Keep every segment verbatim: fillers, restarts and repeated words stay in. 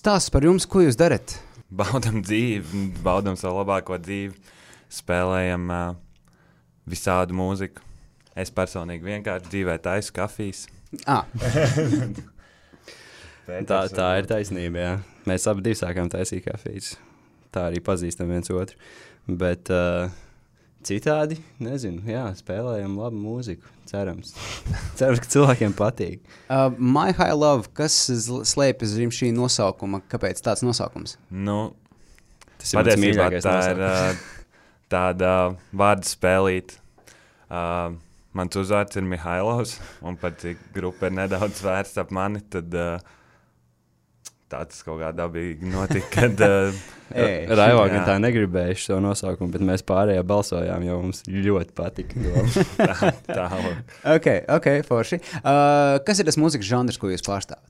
Stāsts par jums, ko jūs darat? Baudam dzīvi, baudam savu labāko dzīvi, spēlējam uh, visādu mūziku. Es personīgi vienkārši dzīvē taisu kafijas. Ah. tā, tā ir taisnība, jā. Mēs abi divi sākām taisīt kafijas. Tā arī pazīstam viens otru. Bet uh, citādi, nezinu, jā, spēlējam labu mūziku, cerams. Cerams, ka cilvēkiem patīk. Uh, My High Love, kas zl- slēpjas zem šī nosaukuma? Kāpēc tāds nosaukums? Nu, Tas ir mans patiesībā mīļākais tā ir nosaukums. uh, tāda vārdu spēlīt. Uh, mans uzvārds ir Mihailovs, un pat cik grupa ir nedaudz vērsta ap mani, tad uh, tāds kaut kā dabīgi notika, kad... Uh, Ei, Raivo jā. gan tā negribēja šo nosaukumu, bet mēs pārējā balsojām, jo mums ļoti patika. tā, tā, Ok, ok, forši. Uh, kas ir tas mūzikas žanrs, ko jūs pārstāvat?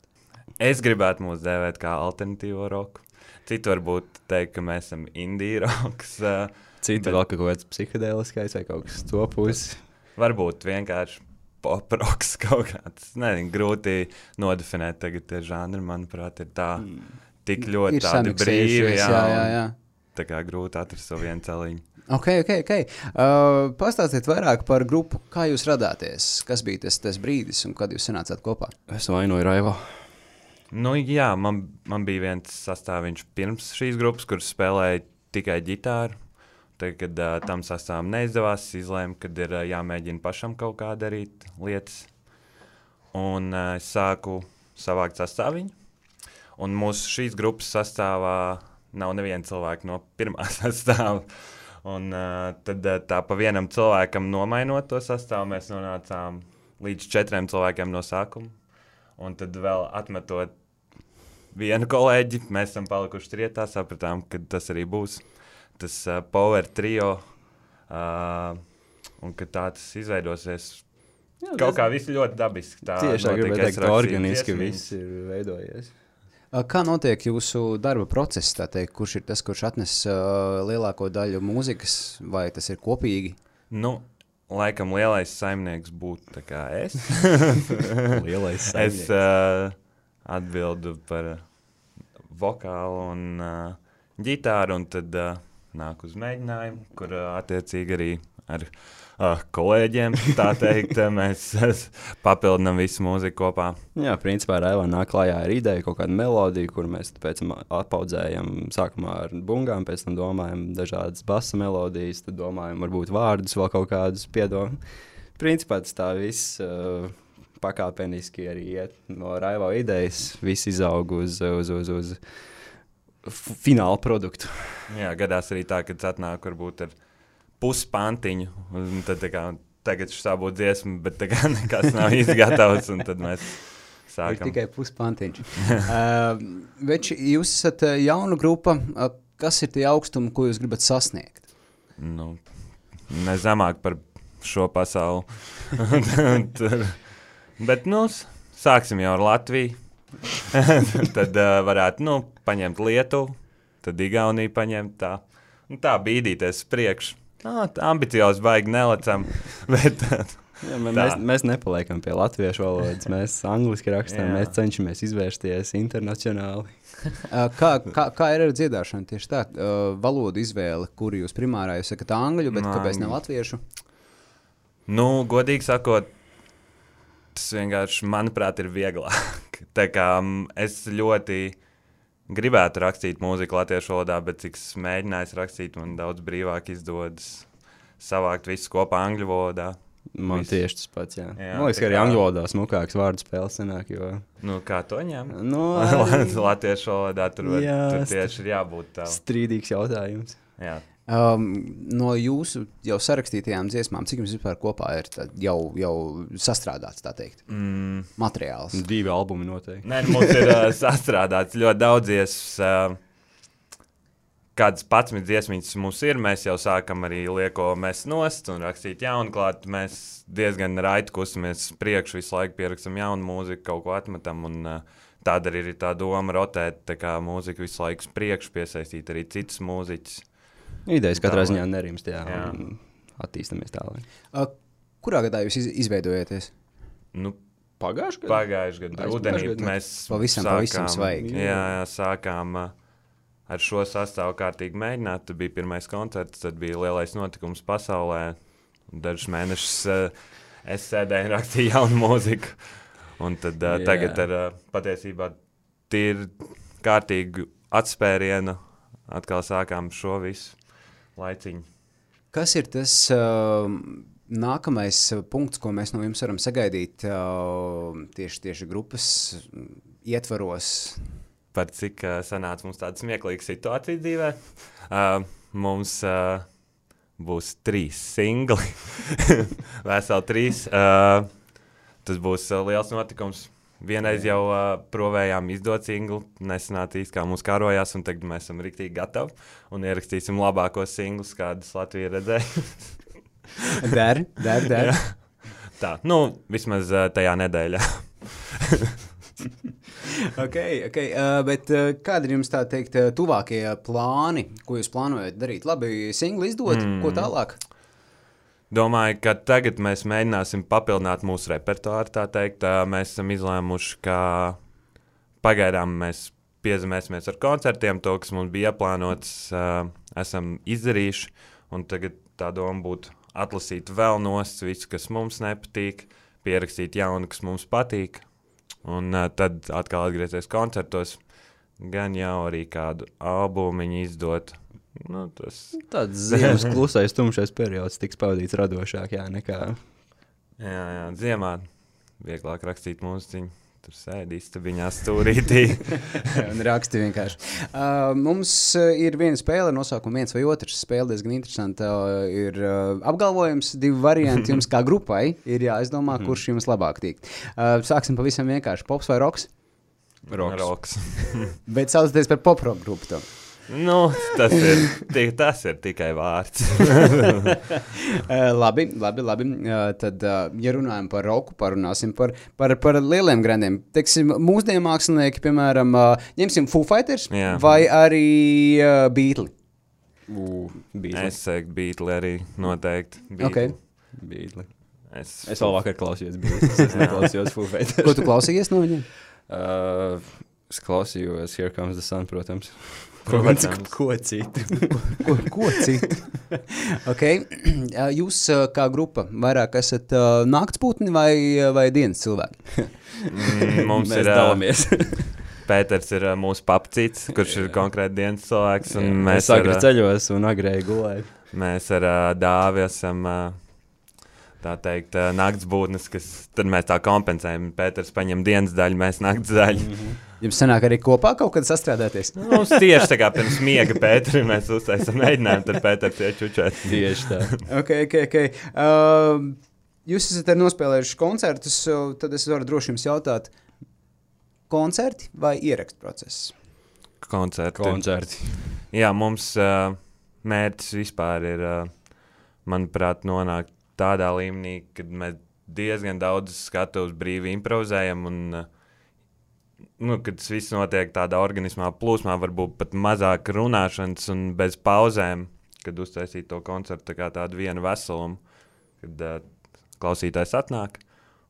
es gribētu mūs dēvēt kā alternatīvo roku. Citu varbūt teikt, ka mēs esam indie roks. Uh, Citi Bet- vēl kaut kāds psihedēliskais vai kaut kas to pusi. varbūt vienkārši pop roks kaut kāds. Nezinu, grūti nodefinēt tagad tie žanri, manuprāt, ir tā tik ļoti Ir tādi brīvi. samiksējušies, jā, jā, jā. Tā kā grūti atrast savu vienu celiņu. Ok, ok, ok. Uh, pastāstiet vairāk par grupu, kā jūs radāties, kas bija tas, tas brīdis un kad jūs sanācāt kopā. Es vainoju Raivo. Nu, jā, man, man bija viens sastāviņš pirms šīs grupas, kurš spēlēja tikai ģitāru. Tad, kad uh, tam sastāvam neizdevās, izlēma, kad ir uh, jāmēģina pašam kaut kā darīt lietas. Un uh, es sāku savākt sastāviņu. Un mūsu šīs grupas sastāvā nav neviena cilvēka no pirmā sastāva. Un uh, tad uh, tā pa vienam cilvēkam nomainot to sastāvu, mēs nonācām līdz četriem cilvēkiem no sākuma. Un tad vēl atmetot vienu kolēģi, mēs esam palikuši trietā, sapratām, ka tas arī būs tas uh, power trio, uh, un ka tā tas izveidosies. Jā, Kaut kā viss ļoti dabiski. Tā Tieši tā notika, gribēju es teikt, ka rakstīju organiski dziesmiņas. viss ir veidojies. Uh, kā notiek jūsu darba process, tā teikt, kurš ir tas, kurš atnes uh, lielāko daļu mūzikas, vai tas ir kopīgi? Nu, laikam lielais saimnieks būtu tā kā es. Lielais es saimnieks. uh, atbildu par vokālu un uh, ģitāru, un tad uh, nāk uz mēģinājumu, kur uh, attiecīgi arī ar uh, kolēģiem, tā teikt, mēs uh, papildinām visu mūziku kopā. Jā, principā Raivo nāk klājā ar ideju, kaut kādu melodiju, kuru mēs pēc tam atpaudzējam sākumā ar bungām, pēc tam domājam dažādas basa melodijas, tad domājam varbūt vārdus vēl kaut kādus piedomām. Principā tas tā viss uh, pakāpeniski arī iet no Raivo idejas, viss izaug uz, uz, uz, uz f- finālu produktu. Jā, gadās arī tā, kad atnāk varbūt ar puspantiņu, un tad tā kā tagad šā būtu dziesma, bet tā kā nekas nav izgatavs, un tad mēs Ir sākam. tikai puspantiņš. uh, Veči, jūs esat uh, jauna grupa, uh, kas ir tie augstumi, ko jūs gribat sasniegt? Nu, ne zemāk par šo pasauli. Tur. Bet, nu, s- sāksim jau ar Latviju. Tad uh, varētu, nu, paņemt Lietuvu, tad Igauniju paņemt tā. Nu, tā bīdīties priekš. Nā, tā ambiciozi baigi nelecam, bet Jā, mē- Tā. mēs, mēs nepaliekam pie latviešu valodas, mēs angliski rakstām, Jā. mēs cenšamies izvērsties internacionāli. Uh, kā, kā, kā ir ar dziedāšanu? Tieši tā, uh, valodu izvēle, kuru jūs primārā jūs sakat angļu, bet Nā, kāpēc ne latviešu? Nu, godīgi sakot, tas vienkārši, manuprāt, ir vieglāk. Tā kā mm, es ļoti gribētu rakstīt mūziku latviešu valodā, bet cik es mēģināju rakstīt, man daudz brīvāk izdodas savākt visu kopā angļu valodā. Man Viss. tieši tas pats, jā. Jā, Man liekas, tā ka arī kā- angļu valodā smukāks vārdu spēles sanāk, jo... Nu, kā to ņem? Nu, Latviešu valodā tur, var, Jā, tur st- tieši ir jābūt tā. strīdīgs jautājums. Jā. Um, no jūsu jau sarakstītajām dziesmām, cik jums vispār kopā ir tad jau, jau sastrādāts, tā teikt, Mm. materiāls? Divi albumi noteikti. Nē, mums ir uh, sastrādāts ļoti daudzies. Uh, kādas patsmit dziesmiņas mums ir, mēs jau sākam arī lieko mest nost un rakstīt jaunu klāt. Mēs diezgan raiti kustamies priekš, visu laiku pierakstam jaunu mūziku, kaut ko atmetam. Un, uh, tāda arī ir tā doma rotēt, tā kā mūzika visu laiku uz priekšu, piesaistīt arī citus mūziķus. Idejas katrā Tālāk. ziņā nerimst, jā, Jā. un attīstamies tālāk. Uh, kurā gadā jūs iz, izveidojaties? Nu, Pagājuši gadu? Pagājuši gadu rudenī mēs pavisam, sākām, pavisam svaigi. Jā, jā, sākām uh, ar šo sastāvu kārtīgi mēģināt. Tad bija pirmais koncerts, tad bija lielais notikums pasaulē. Dažus mēnešus uh, es sēdēju un rakstīju jaunu mūziku. Un tad uh, tagad ar uh, patiesībā tīri kārtīgu atspērienu atkal sākām šo visu laiciņu. Kas ir tas uh, nākamais punkts, ko mēs no jums varam sagaidīt uh, tieši, tieši grupas ietvaros? Par cik uh, sanāca mums tāda smieklīga situācija dzīvē. Uh, mums uh, būs trīs singli, veseli trīs. Uh, tas būs uh, liels notikums. Vienreiz jau uh, provējām izdot singlu, nesanāca īsti, kā mums karojās, un tagad mēs esam riktīgi gatavi un ierakstīsim labākos singlus, kādus Latvija redzēja. Der, der, der. Tā, nu, vismaz uh, tajā nedēļā. ok, ok, uh, bet uh, kādi ir jums tā teikt uh, tuvākie plāni, ko jūs plānojat darīt? Labi, singli izdot, mm. ko tālāk? Domāju, ka tagad mēs mēģināsim papildināt mūsu repertuāru, tā teikt. Mēs esam izlēmuši, ka pagaidām mēs piezemēsimies ar koncertiem, to, kas mums bija ieplānots, esam izdarījuši, un tagad tā doma būtu atlasīt vēl nost visu, kas mums nepatīk, pierakstīt jaunu, kas mums patīk, un tad atkal atgriezties koncertos, gan jau arī kādu albumiņu izdot. Nu, tas... Tāds ziemas klusais, tumšais periods tiks pavadīts radošāk, jā, nekā... Jā, jā, ziemā vieglāk rakstīt mūziķiņu, tur sēdi istabiņā stūrītī. Un raksti vienkārši. Uh, mums ir viena spēle, nosaukumu viens vai otrs. Spēle diezgan interesanta. Uh, ir uh, apgalvojums, divi varianti jums kā grupai. Ir jāizdomā, kurš jums labāk tīk. Uh, sāksim pavisam vienkārši. Pops vai roks? Roks. Roks. Bet saucaties par pop-rock grupu to. Nu, tas ir, tas ir tikai vārds. labi, labi, labi. Tad, ja runājam par roku, parunāsim par, par, par lieliem grandiem. Teiksim, mūsdienu mākslinieki, piemēram, ņemsim Foo Fighters Jā. vai arī uh, Beatli? Uh, Beatli. Es teiktu Beatli arī noteikti. Beatli. Okay. Beatli. Es, es vēl vakar klausījos Beatli, es neklausījos Foo Fighters. Ko tu klausījies no viņiem? Uh, es klausījos Here Comes the Sun, protams. Protams, ko citu. ko, ko citu? okay. Jūs kā grupa vairāk esat uh, naktspūtni vai, vai dienas cilvēki? mm, mums Mēs ir dalamies. Pēters ir uh, mūsu papcīts, kurš jā. ir konkrēti dienas cilvēks. Un jā, mēs agri ar, ceļos un agrēji gulēju. Mēs ar uh, Dāvi esam... Uh, tā teikt, uh, naktsbūtnes, kas tad mēs tā kompensējam. Pēters paņem dienas daļu, mēs nakts daļu. Mm-hmm. Jums sanāk arī kopā kaut kad sastrādāties? Mums tieši tā kā pirms miega Pēteri mēs uztaisam mēģinājumu, tad Pēters iečučēt. Tieši tā. ok, ok, ok. Uh, jūs esat arī nospēlējuši koncertus, tad es varu droši jums jautāt, koncerti vai ierakstu process? Koncerti. Koncerti. Jā, mums uh, mērķis vispār ir, uh, manuprāt, nonākt tādā līmenī, kad mēs diezgan daudz skatuves brīvi improvizējam un uh, nu, kad tas viss notiek tādā organismā plūsmā, varbūt pat mazāk runāšanas un bez pauzēm, kad uztaisīt to koncertu tā kā tādu vienu veselumu, kad uh, klausītājs atnāk,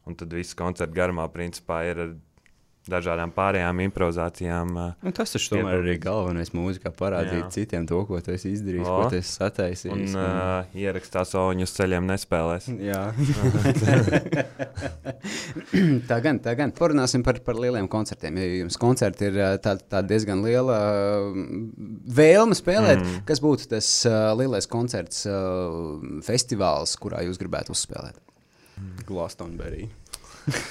un tad viss koncerta garumā principā ir ar dažādām pārējām improvizācijām. Uh, nu, tas taču tomēr arī galvenais mūzikā parādīt jā. citiem to, ko tu esi izdarījis, o, ko tu esi sataisījis. Un, un... Uh, ierakstā soņu uz ceļiem nespēlēs. Jā. tā gan, tā gan. Parunāsim par, par lieliem koncertiem. Ja jums koncerti ir tā, tā diezgan liela uh, vēlme spēlēt, mm. kas būtu tas uh, lielais koncerts uh, festivāls, kurā jūs gribētu uzspēlēt? Glastonbury.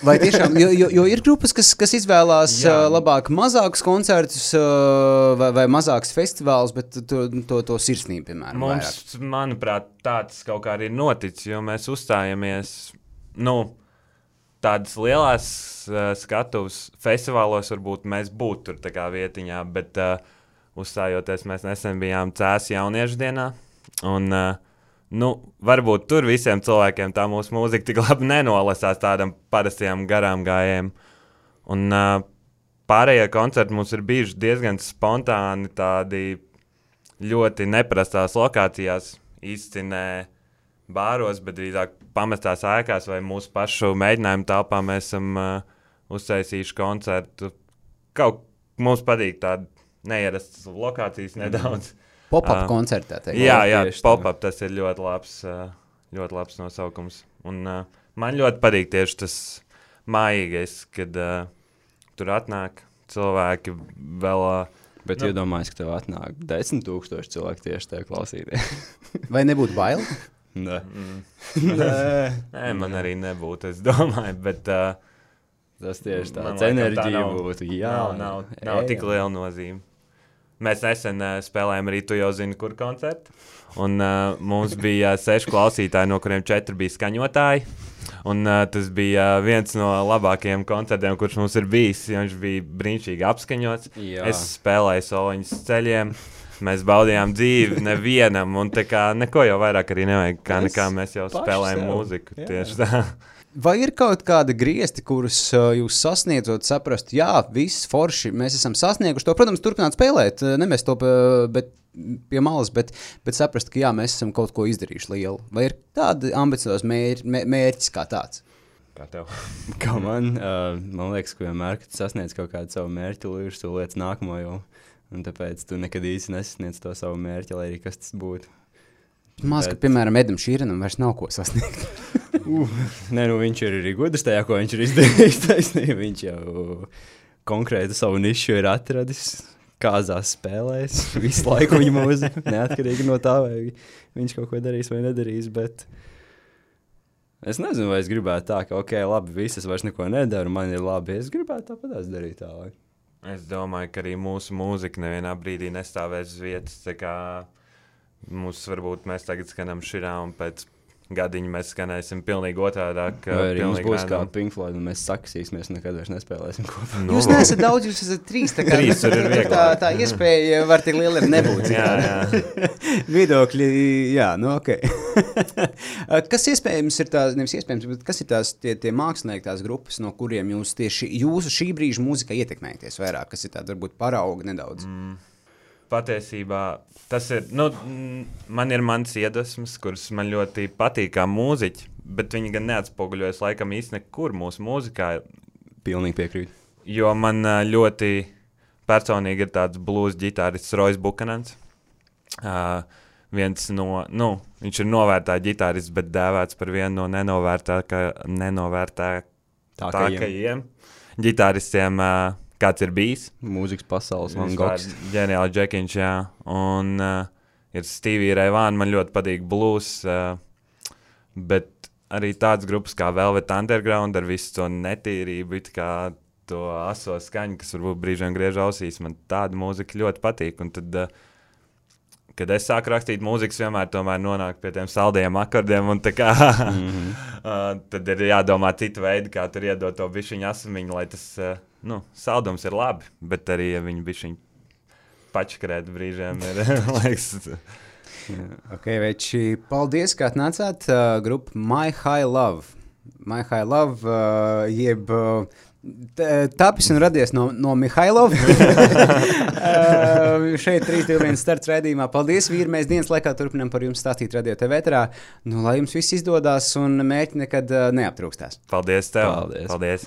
Vai tiešām, jo, jo, jo ir grupas, kas, kas izvēlās uh, labāk mazākus koncertus uh, vai, vai mazākus festivālus, bet to, to, to sirsnību, piemēram, mums, vairāk. Manuprāt, tāds kaut kā arī ir noticis, jo mēs uzstājamies, nu, tādas lielās uh, skatuves festivālos varbūt mēs būtu tur tā kā vietiņā, bet uh, uzstājoties mēs nesen bijām Cēs jauniešu dienā, un... Uh, Nu, varbūt tur visiem cilvēkiem tā mūsu mūzika tik labi nenolasās tādam parastajam garām gājiem. Un uh, pārējie koncerti mums ir bijuši diezgan spontāni, tādi ļoti neparastās lokācijās. Izcinē bāros, bet drīzāk pamestās ēkās vai mūsu pašu mēģinājumu telpā mēs esam uh, uztaisījuši koncertu. Kaut mums patīk tāda neierastas lokācijas nedaudz. Pop-up uh, koncertā. Teikt. Jā, jā, tieši tā. pop-up tas ir ļoti labs, uh, ļoti labs nosaukums. Un uh, man ļoti patīk tieši tas mājīgais, kad uh, tur atnāk cilvēki vēl... Uh, Bet nu, iedomājies, ka tev atnāk desmit tūkstoši cilvēku tieši tev klausīties. Vai nebūtu bail? Nē. mm, Nē. nē, man arī nebūtu, es domāju, bet... Uh, Tas tieši Man tāds laikam tā enerģija nav- būtu. Jā, nav, nav, nav tik liela nozīme. Mēs nesen uh, spēlējām arī tu jau zini, kur koncertu. Un uh, mums bija uh, seši klausītāji, no kuriem četri bija skaņotāji. Un uh, tas bija uh, viens no labākajiem koncertiem, kurš mums ir bijis. Viņš bija brīnišķīgi apskaņots. Jā. Es spēlēju soliņus uz ceļiem. Mēs baudījām dzīvi nevienam. Un tā kā neko jau vairāk arī nevajag. Kā Mēs nekā mēs jau paši spēlējam sev. mūziku. Jā. Tieši tā. Vai ir kaut kāda griezti, kurus uh, jūs sasniedzot, saprast, jā, viss forši, mēs esam sasnieguši to, protams, turpināt spēlēt, uh, nemest to uh, bet, pie malas, bet, bet saprast, ka jā, mēs esam kaut ko izdarījuši lielu. Vai ir tāda ambicioza mēr, mē, mērķis kā tāds? Kā tev? Kā man, uh, man liekas, ka vienmēr, kad tu sasniedz kaut kādu savu mērķi, tu līdz tu lietas nākamo jau. Un tāpēc tu nekad īsti nesasniedz to savu mērķi, lai arī kas tas būtu. Maz, ka, Bet- piemēram, Edam Šīrenam vairs nav ko sasniegt. Uh, nē, nu viņš ir arī gudrs tajā, ko viņš ir izdarījis. Taisnība. Viņš jau konkrēti savu nišu ir atradis, kāzās spēlēs, visu laiku viņa mūzika, neatkarīgi no tā, vai viņš kaut ko darīs vai nedarīs, bet es nezinu, vai es gribētu tā, ka, ok, labi, visas vairs neko nedaru, man ir labi, es gribētu tāpatās darīt tā, lai. Es domāju, ka arī mūsu mūzika nevienā brīdī nestāvēs uz vietas. Tā kā mums varbūt mēs tagad skanam širā un pēc gadiņa mēs skanēsim pilnīgi otrādāk. Vai arī mums pilnīgi būs kā random. Pink Floyd un mēs saksīsimies un nekad vairs nespēlēsim kopā. Nu, Jūs neesat daudz, jūs esat trīs, tā kā Trīs tur ir tā, vieglāk. tā iespēja var tik liela arī nebūt. Jā, jā. Viedokļi, jā, nu ok. Kas iespējams ir tās, nevis iespējams, bet kas ir tās tie, tie mākslinieki, tās grupas, no kuriem jūs tieši jūsu šī brīža mūzikā ietekmējaties vairāk, kas ir tāda varbūt parauga nedaudz? Mm. Patiesībā tas ir, nu, mm, man ir mans iedvesmas, kuras man ļoti patīk kā mūziķi, bet viņi gan neatspoguļojas laikam īsti nekur mūsu mūzikā, Pilnīgi piekrīt. jo man ā, ļoti personīgi ir tāds blues ģitārists Royce Buchanans. Uh, viens no, nu, viņš ir novērtā ģitārists, bet dēvēts par vienu no nenovērtākajiem Tākajiem. ģitāristiem, uh, kāds ir bijis. Mūzikas pasaules Van Vispār Gogs. ģeniāli Džekiņš, jā. Un uh, ir Stevie Ray Vaughan, man ļoti patīk blues, uh, bet arī tāds grupas kā Velvet Underground ar visu to netīrību, it kā to aso skaņu, kas varbūt brīžiem griež ausīs, man tāda mūzika ļoti patīk. Un tad, uh, kad es sāku rakstīt mūzikas, vienmēr tomēr nonāk pie tiem saldiem akordiem, un tā kā, Mhm. uh, tad ir jādomā citu veidu, kā tur iedot to bišķiņu asamiņu, lai tas, uh, nu, saldums ir labi, bet arī, ja viņi bišķiņu pačkrēt brīžiem ir, liekas, Ok, veči, paldies, ka atnācāt. Uh, grupa My High Love. My High Love, uh, jeb uh, t- tapis un radies no, no Mihailova. uh, šeit trīs divi viens starts raidījumā. Paldies, vīri, mēs dienas laikā turpinām par jums stāstīt Radio T V ēterā. Nu, lai jums viss izdodas un mērķi nekad uh, neaptrūkstās. paldies tev. Paldies. Paldies.